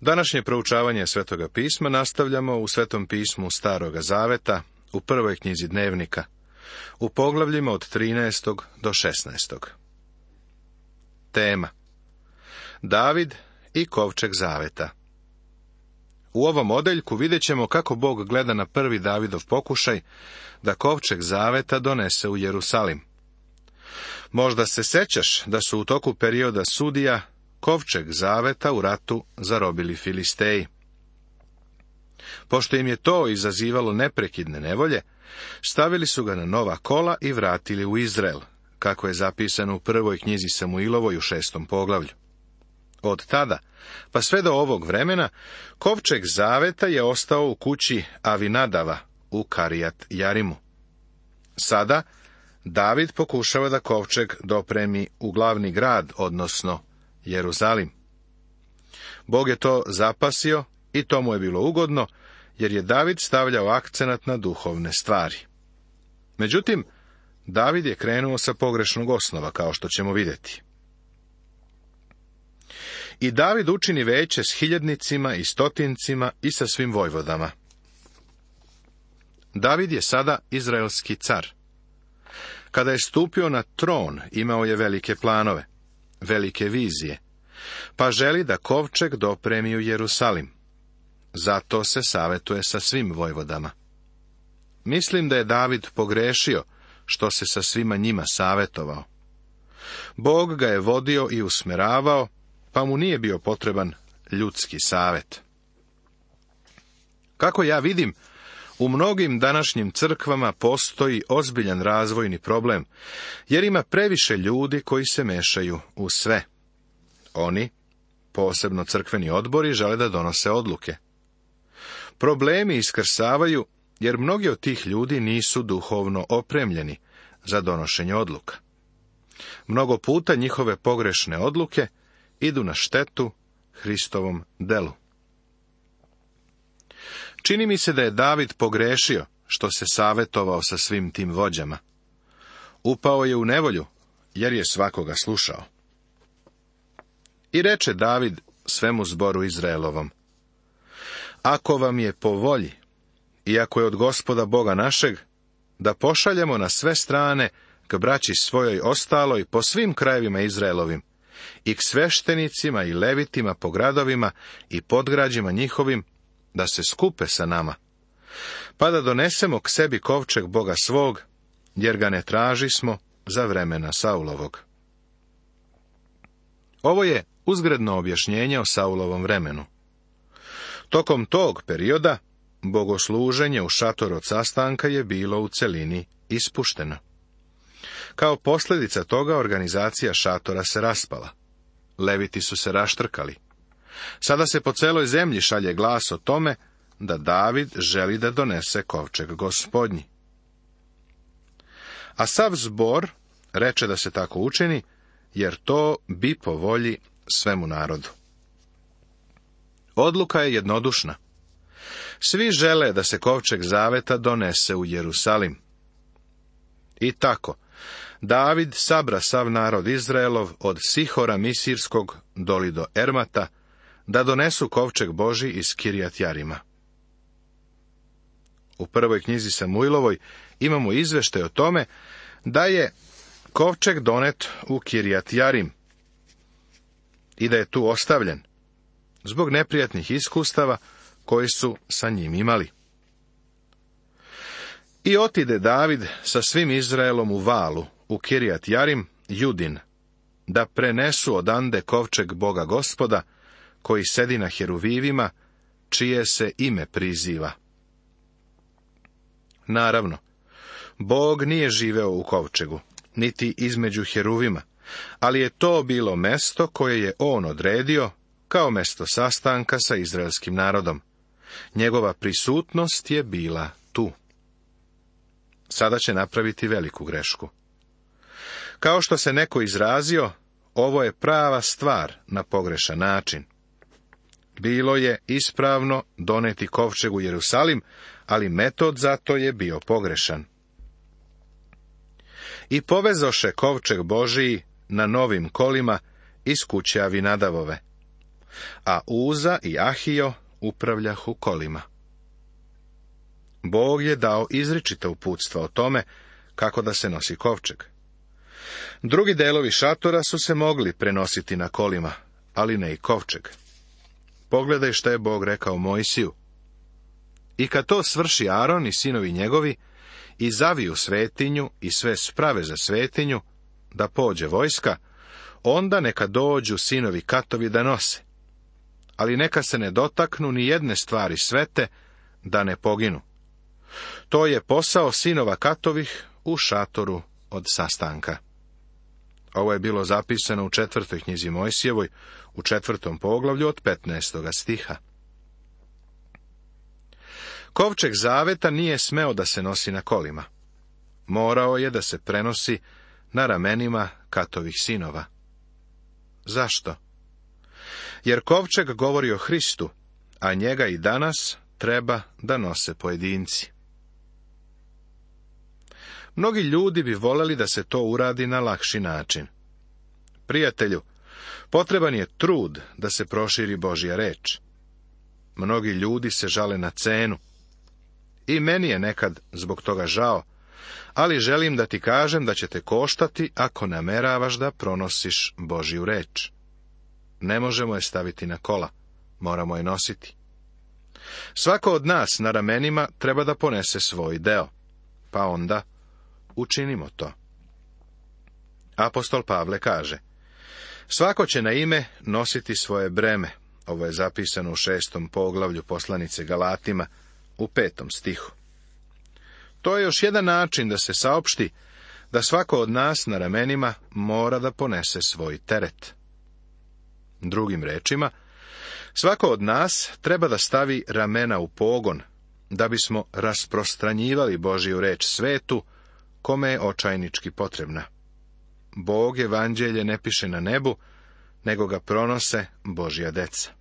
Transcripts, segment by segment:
Današnje proučavanje Svetoga pisma nastavljamo u Svetom pismu Staroga zaveta, u prvoj knjizi Dnevnika, u poglavljima od 13. do 16. Tema: David i kovčeg zaveta. U ovom odeljku vidjet ćemo kako Bog gleda na prvi Davidov pokušaj da kovčeg zaveta donese u Jerusalim. Možda se sećaš da su u toku perioda sudija kovčeg zaveta u ratu zarobili Filisteji. Pošto im je to izazivalo neprekidne nevolje, stavili su ga na nova kola i vratili u Izrael, kako je zapisano u prvoj knjizi Samuilovoj u 6. poglavlju. Od tada, pa sve do ovog vremena, kovčeg zaveta je ostao u kući Avinadava u Karijat Jarimu. Sada, David pokušava da kovčeg dopremi u glavni grad, odnosno Jerusalim. Bog je to zapasio i to mu je bilo ugodno, jer je David stavljao akcenat na duhovne stvari. Međutim, David je krenuo sa pogrešnog osnova, kao što ćemo vidjeti. I David učini veće s hiljadnicima i stotincima i sa svim vojvodama. David je sada izraelski car. Kada je stupio na tron, imao je velike planove, velike vizije, pa želi da kovčeg dopremi u Jerusalim. Zato se savjetuje sa svim vojvodama. Mislim da je David pogrešio što se sa svima njima savjetovao. Bog ga je vodio i usmeravao, pa mu nije bio potreban ljudski savjet. Kako ja vidim, u mnogim današnjim crkvama postoji ozbiljan razvojni problem, jer ima previše ljudi koji se mešaju u sve. Oni, posebno crkveni odbori, žele da donose odluke. Problemi iskrsavaju, jer mnogi od tih ljudi nisu duhovno opremljeni za donošenje odluka. Mnogo puta njihove pogrešne odluke idu na štetu Hristovom delu. Čini mi se da je David pogrešio što se savjetovao sa svim tim vođama. Upao je u nevolju, jer je svakoga slušao. I reče David svemu zboru Izraelovom: Ako vam je po volji, i ako je od Gospoda Boga našeg, da pošaljemo na sve strane k braći svojoj ostaloj po svim krajevima Izraelovim, i k sveštenicima i levitima po gradovima i podgrađima njihovim, da se skupe sa nama, pa da donesemo k sebi kovčeg Boga svog, jer ga ne tražismo za vremena Saulovog. Ovo je uzgredno objašnjenje o Saulovom vremenu. Tokom tog perioda, bogosluženje u šatoru od sastanka je bilo u celini ispušteno. Kao posljedica toga organizacija šatora se raspala. Leviti su se raštrkali. Sada se po celoj zemlji šalje glas o tome da David želi da donese kovčeg Gospodnji. A sav zbor reče da se tako učini, jer to bi po volji svemu narodu. Odluka je jednodušna. Svi žele da se kovčeg zaveta donese u Jerusalim. I tako, David sabra sav narod Izraelov od Sihora Misirskog doli do Ermata, da donesu kovčeg Božji iz Kirijat Jarima. U prvoj knjizi Samuilovoj imamo izveštaj o tome da je kovčeg donet u Kirijat Jarim i da je tu ostavljen zbog neprijatnih iskustava koji su sa njim imali. I otide David sa svim Izraelom u valu u Kirijat Jarim, Judin, da prenesu odande kovčeg Boga Gospoda, koji sedi na heruvivima, čije se ime priziva. Naravno, Bog nije živeo u kovčegu, niti između heruvima, ali je to bilo mesto koje je on odredio kao mesto sastanka sa izraelskim narodom. Njegova prisutnost je bila tu. Sada će napraviti veliku grešku. Kao što se neko izrazio, ovo je prava stvar na pogrešan način. Bilo je ispravno doneti kovčeg u Jerusalim, ali metod za to je bio pogrešan. I povezoše kovčeg Božiji na novim kolima iz kuće Avinadavove. a Uza i Ahio upravljahu kolima. Bog je dao izričita uputstva o tome kako da se nosi kovčeg. Drugi delovi šatora su se mogli prenositi na kolima, ali ne i kovčeg. Pogledaj šta je Bog rekao Mojsiju. I kad to svrši Aron i sinovi njegovi, i zaviju svetinju i sve sprave za svetinju, da pođe vojska, onda neka dođu sinovi Katovi da nose. Ali neka se ne dotaknu ni jedne stvari svete, da ne poginu. To je posao sinova Katovih u šatoru od sastanka. Ovo je bilo zapisano u 4. knjizi Mojsijevoj, u 4. poglavlju od 15. stiha. Kovčeg zaveta nije smeo da se nosi na kolima. Morao je da se prenosi na ramenima Katovih sinova. Zašto? Jer kovčeg govori o Hristu, a njega i danas treba da nose pojedinci. Mnogi ljudi bi voleli da se to uradi na lakši način. Prijatelju, potreban je trud da se proširi Božja reč. Mnogi ljudi se žale na cenu. I meni je nekad zbog toga žao, ali želim da ti kažem da će te koštati ako nameravaš da pronosiš Božju reč. Ne možemo je staviti na kola, moramo je nositi. Svako od nas na ramenima treba da ponese svoj deo, pa onda učinimo to. Apostol Pavle kaže: svako će na ime nositi svoje breme. Ovo je zapisano u 6. poglavlju poslanice Galatima, u 5. stihu. To je još jedan način da se saopšti da svako od nas na ramenima mora da ponese svoj teret. Drugim rečima, svako od nas treba da stavi ramena u pogon, da bismo rasprostranjivali Božju reč svetu, kome je očajnički potrebna. Bog evanđelje ne piše na nebu, nego ga pronose Božja deca.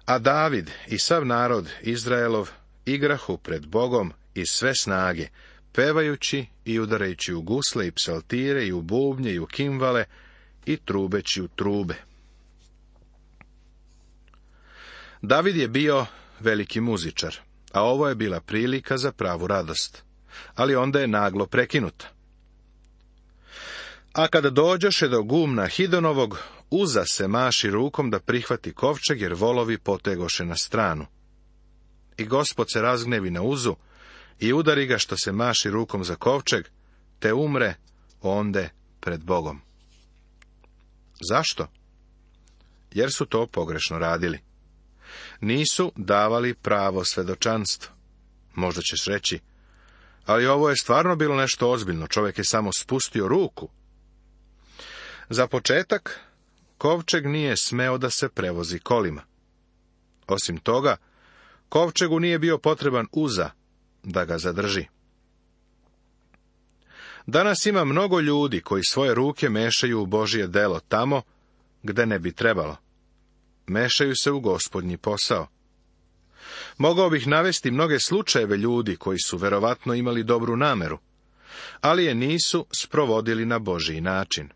A David i sav narod Izraelov igrahu pred Bogom iz sve snage, pevajući i udarajući u gusle i psaltire i u bubnje i u kimvale i trubeći u trube. David je bio veliki muzičar, a ovo je bila prilika za pravu radost, ali onda je naglo prekinuta. A kada dođoše do gumna Hidonovog, Uza se maši rukom da prihvati kovčeg, jer volovi potegoše na stranu. I Gospod se razgnevi na Uzu i udari ga što se maši rukom za kovčeg, te umre onde pred Bogom. Zašto? Jer su to pogrešno radili. Nisu davali pravo svedočanstvo. Možda ćeš reći: ali ovo je stvarno bilo nešto ozbiljno, čovjek je samo spustio ruku. Za početak, kovčeg nije smeo da se prevozi kolima. Osim toga, kovčegu nije bio potreban Uza da ga zadrži. Danas ima mnogo ljudi koji svoje ruke mešaju u Božje delo tamo gde ne bi trebalo. Mešaju se u Gospodnji posao. Mogao bih navesti mnoge slučajeve ljudi koji su verovatno imali dobru nameru, ali je nisu sprovodili na Božji način.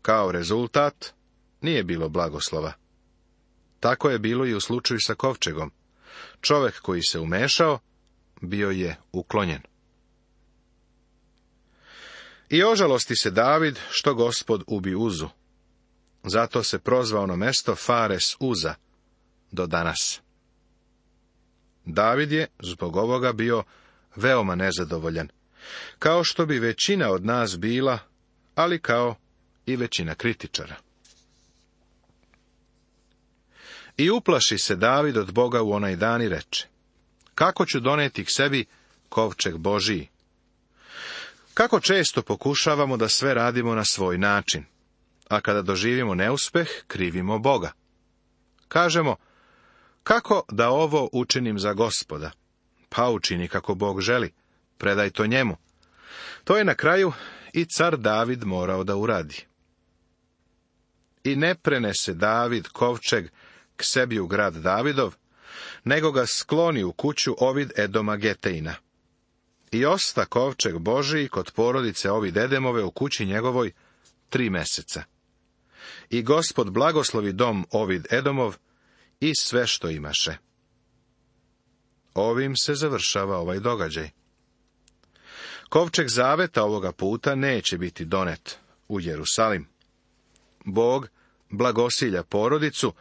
Kao rezultat, nije bilo blagoslova. Tako je bilo i u slučaju sa kovčegom. Čovek koji se umešao, bio je uklonjen. I ožalosti se David što Gospod ubi Uzu. Zato se prozva ono mesto Fares Uza do danas. David je zbog ovoga bio veoma nezadovoljan, kao što bi većina od nas bila, ali kao i većina kritičara. I uplaši se David od Boga u onaj dan i reče: kako ću doneti k sebi kovčeg Božiji? Kako često pokušavamo da sve radimo na svoj način, a kada doživimo neuspeh, krivimo Boga. Kažemo: kako da ovo učinim za Gospoda? Pa učini kako Bog želi, predaj to njemu. To je na kraju i car David morao da uradi. I ne prenese David kovčeg k sebi u grad Davidov, nego ga skloni u kuću Ovid Edoma Geteina. I osta kovčeg Božiji kod porodice Ovid Edemove u kući njegovoj 3 meseca. i Gospod blagoslovi dom Ovid Edomov i sve što imaše. Ovim se završava ovaj događaj. Kovčeg zaveta ovoga puta neće biti donet u Jerusalim. Bog blagosilja porodicu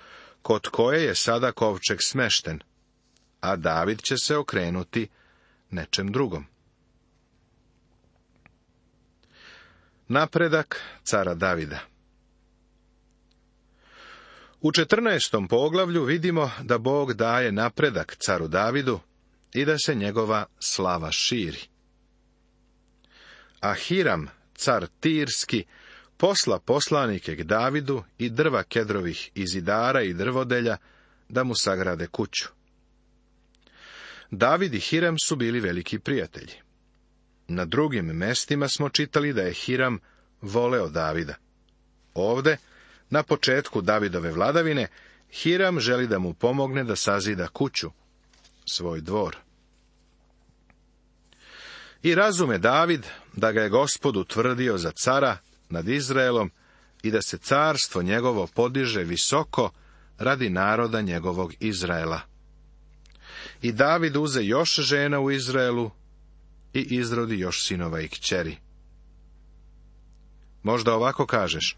kod koje je sada kovčeg smešten, a David će se okrenuti nečem drugom. Napredak cara Davida. U 14. poglavlju vidimo da Bog daje napredak caru Davidu i da se njegova slava širi. A Hiram, car Tirski, posla poslanike k Davidu i drva kedrovih i zidara i drvodelja da mu sagrade kuću. David i Hiram su bili veliki prijatelji. Na drugim mestima smo čitali da je Hiram voleo Davida. Ovde, na početku Davidove vladavine, Hiram želi da mu pomogne da sazida kuću, svoj dvor. I razume David da ga je Gospod utvrdio za cara nad Izraelom i da se carstvo njegovo podiže visoko radi naroda njegovog Izraela. I David uze još žena u Izraelu i izrodi još sinova i kćeri. Možda ovako kažeš,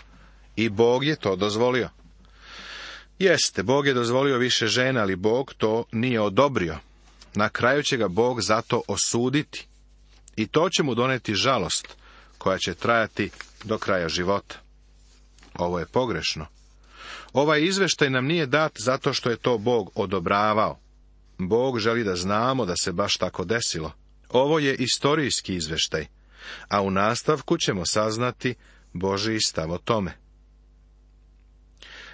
i Bog je to dozvolio. Jeste, Bog je dozvolio više žena, ali Bog to nije odobrio. Na kraju će ga Bog zato osuditi. I to će mu doneti žalost, koja će trajati do kraja života. Ovo je pogrešno. Ovaj izveštaj nam nije dat zato što je to Bog odobravao. Bog želi da znamo da se baš tako desilo. Ovo je istorijski izveštaj, a u nastavku ćemo saznati Božji stav o tome.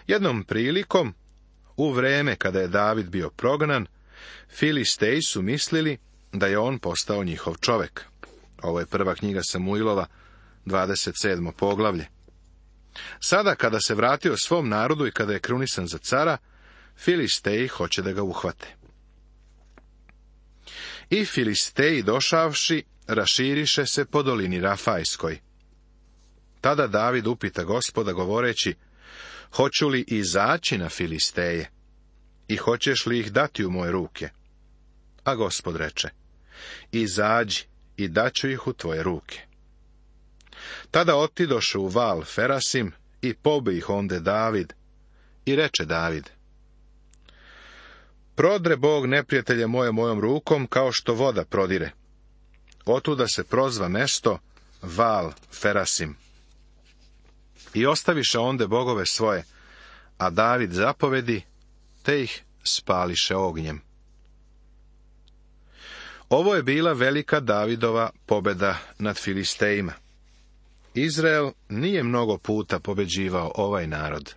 Jednom prilikom, u vreme kada je David bio prognan, Filisteji su mislili da je on postao njihov čovek. Ovo je prva knjiga Samuilova, 27. poglavlje. Sada, kada se vratio svom narodu i kada je krunisan za cara, Filisteji hoće da ga uhvate. I Filisteji došavši, raširiše se po dolini Rafajskoj. Tada David upita Gospoda govoreći, hoću li izaći na Filisteje i hoćeš li ih dati u moje ruke? A Gospod reče, izađi i daću ih u tvoje ruke. Tada otidoše u val Ferasim i pobi ih onde David i reče David, prodre Bog neprijatelje moje mojom rukom kao što voda prodire. Otuda se prozva mesto val Ferasim. I ostaviše onde bogove svoje, a David zapovedi, te ih spališe ognjem. Ovo je bila velika Davidova pobeda nad Filistejima. Izrael nije mnogo puta pobeđivao ovaj narod.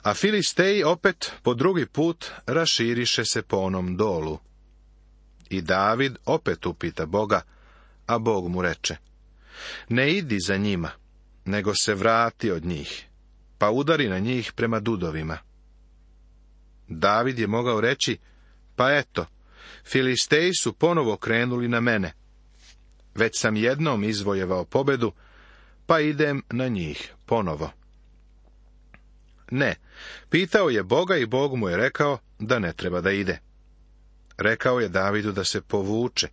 A Filisteji opet po drugi put raširiše se po onom dolu. I David opet upita Boga, a Bog mu reče, ne idi za njima, nego se vrati od njih, pa udari na njih prema dudovima. David je mogao reći, pa eto, Filisteji su ponovo krenuli na mene. Već sam jednom izvojevao pobedu, pa idem na njih ponovo. Ne, pitao je Boga i Bog mu je rekao da ne treba da ide. Rekao je Davidu da se povuče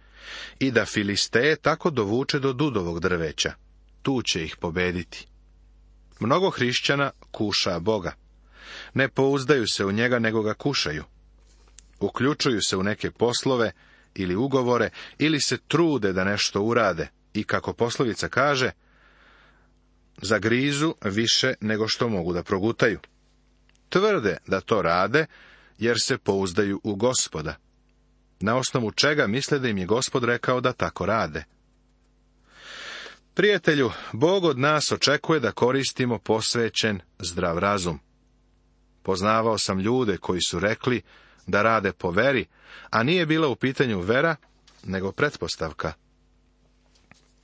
i da Filisteje tako dovuče do dudovog drveća. Tu će ih pobediti. Mnogo hrišćana kuša Boga. Ne pouzdaju se u njega, nego ga kušaju. Uključuju se u neke poslove ili ugovore, ili se trude da nešto urade i, kako poslovica kaže, zagrizu više nego što mogu da progutaju. Tvrde da to rade, jer se pouzdaju u Gospoda. Na osnovu čega misle da im je Gospod rekao da tako rade. Prijatelju, Bog od nas očekuje da koristimo posvećen, zdrav razum. Poznavao sam ljude koji su rekli da rade po veri, a nije bila u pitanju vera, nego pretpostavka.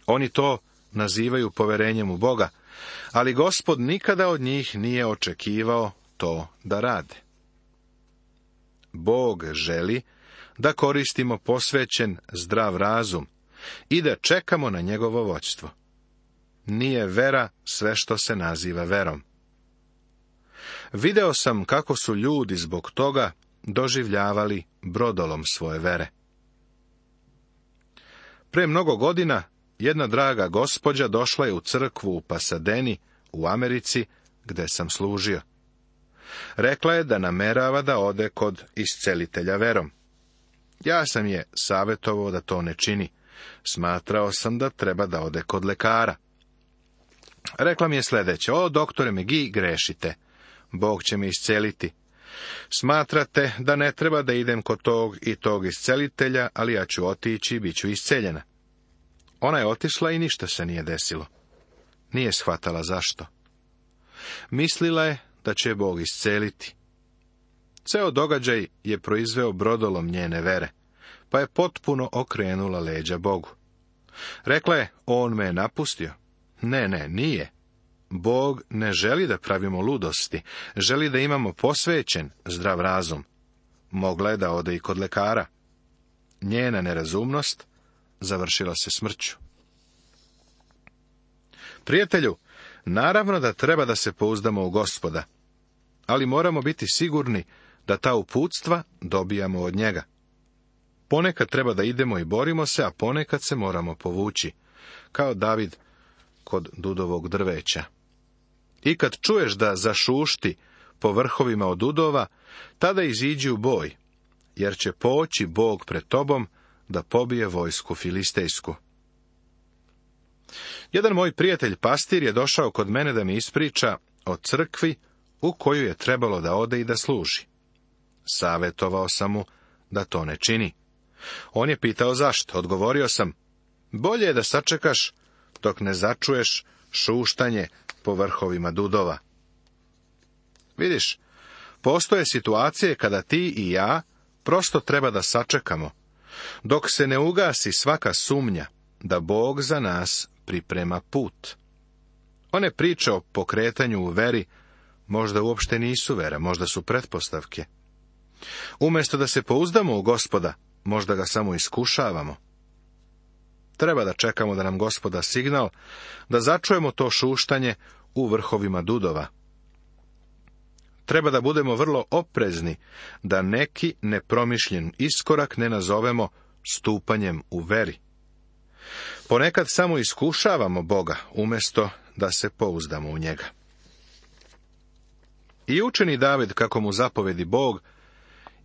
Oni to nazivaju poverenjem u Boga, ali Gospod nikada od njih nije očekivao to da rade. Bog želi da koristimo posvećen, zdrav razum i da čekamo na njegovo vođstvo. nije vera sve što se naziva verom. Video sam kako su ljudi zbog toga doživljavali brodolom svoje vere. Pre mnogo godina jedna draga gospođa došla je u crkvu u Pasadeni u Americi, gde sam služio. Rekla je da namerava da ode kod iscelitelja verom. Ja sam je savjetovao da to ne čini. Smatrao sam da treba da ode kod lekara. Rekla mi je sljedeće: o, doktore McGee, grešite. Bog će me isceliti. Smatrate da ne treba da idem kod tog i tog iscelitelja, ali ja ću otići i bit ću isceljena. Ona je otišla i ništa se nije desilo. Nije shvatala zašto. Mislila je da će je Bog isceliti. Ceo događaj je proizveo brodolom njene vere, pa je potpuno okrenula leđa Bogu. Rekla je: on me je napustio. Ne, nije. Bog ne želi da pravimo ludosti, želi da imamo posvećen, zdrav razum. Mogla je da ode i kod lekara. Njena nerazumnost završila se smrću. Prijatelju, naravno da treba da se pouzdamo u Gospoda, ali moramo biti sigurni da ta uputstva dobijamo od njega. Ponekad treba da idemo i borimo se, a ponekad se moramo povući, kao David kod dudovog drveća. I kad čuješ da zašušti po vrhovima od dudova, tada iziđi u boj, jer će poći Bog pred tobom da pobije vojsku filistejsku. Jedan moj prijatelj pastir je došao kod mene da mi ispriča o crkvi u koju je trebalo da ode i da služi. Savjetovao sam mu da to ne čini. On je pitao zašto. Odgovorio sam: bolje je da sačekaš dok ne začuješ šuštanje po vrhovima dudova. Vidiš, postoje situacije kada ti i ja prosto treba da sačekamo, dok se ne ugasi svaka sumnja da Bog za nas priprema put. One priče o pokretanju u veri možda uopšte nisu vera, možda su pretpostavke. Umjesto da se pouzdamo u Gospoda, možda ga samo iskušavamo. Treba da čekamo da nam Gospod da signal, da začujemo to šuštanje u vrhovima dudova. Treba da budemo vrlo oprezni, da neki nepromišljen iskorak ne nazovemo stupanjem u veri. Ponekad samo iskušavamo Boga, umjesto da se pouzdamo u njega. I učini David kako mu zapovedi Bog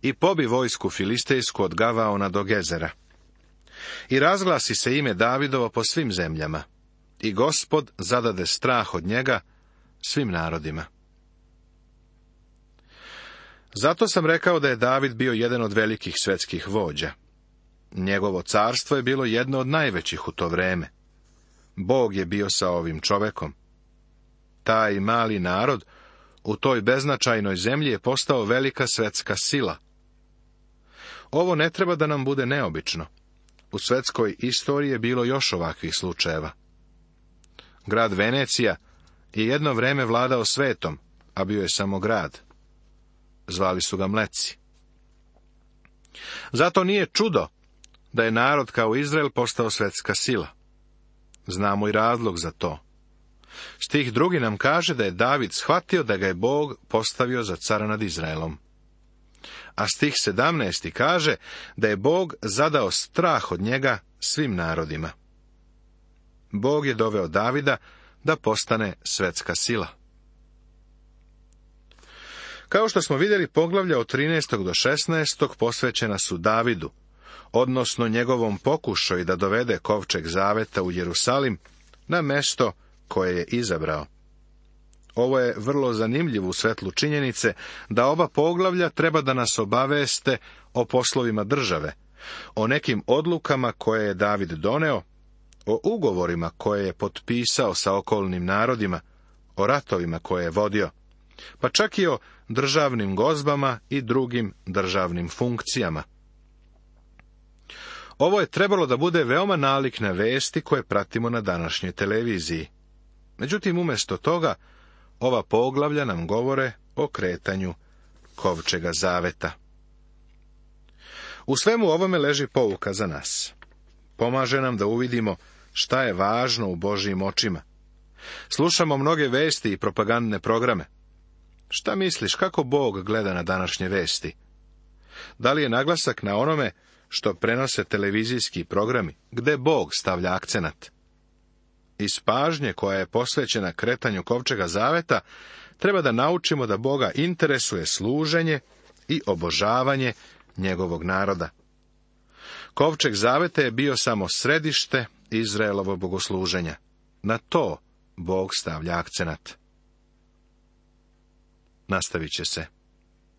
i pobi vojsku filistejsku od Gavaona do Gezera. I razglasi se ime Davidovo po svim zemljama, i Gospod zadade strah od njega svim narodima. Zato sam rekao da je David bio jedan od velikih svetskih vođa. Njegovo carstvo je bilo jedno od najvećih u to vreme. Bog je bio sa ovim čovekom. Taj mali narod u toj beznačajnoj zemlji je postao velika svetska sila. Ovo ne treba da nam bude neobično. U svetskoj istoriji je bilo još ovakvih slučajeva. Grad Venecija je jedno vreme vladao svetom, a bio je samo grad. Zvali su ga Mleci. Zato nije čudo da je narod kao Izrael postao svetska sila. Znamo i razlog za to. Stih 2 nam kaže da je David shvatio da ga je Bog postavio za cara nad Izraelom. A stih 17 kaže da je Bog zadao strah od njega svim narodima. Bog je doveo Davida da postane svetska sila. Kao što smo vidjeli, poglavlja od 13. do 16. posvećena su Davidu, odnosno njegovom pokušaju da dovede kovčeg zaveta u Jerusalim na mesto koje je izabrao. Ovo je vrlo zanimljivo u svetlu činjenice da oba poglavlja treba da nas obaveste o poslovima države, o nekim odlukama koje je David doneo, o ugovorima koje je potpisao sa okolnim narodima, o ratovima koje je vodio, pa čak i o državnim gozbama i drugim državnim funkcijama. Ovo je trebalo da bude veoma nalik na vesti koje pratimo na današnjoj televiziji. Međutim, umjesto toga, ova poglavlja nam govore o kretanju kovčega zaveta. U svemu ovome leži pouka za nas. Pomaže nam da uvidimo šta je važno u Božjim očima, Slušamo mnoge vesti i propagandne programe. Šta misliš, kako Bog gleda na današnje vesti? Da li je naglasak na onome što prenose televizijski programi, gde Bog stavlja akcenat? Iz pažnje koja je posvećena kretanju kovčega zaveta, treba da naučimo da Boga interesuje služenje i obožavanje njegovog naroda. Kovčeg zaveta je bio samo središte Izraelovo bogosluženja. Na to Bog stavlja akcenat. Nastavit će se.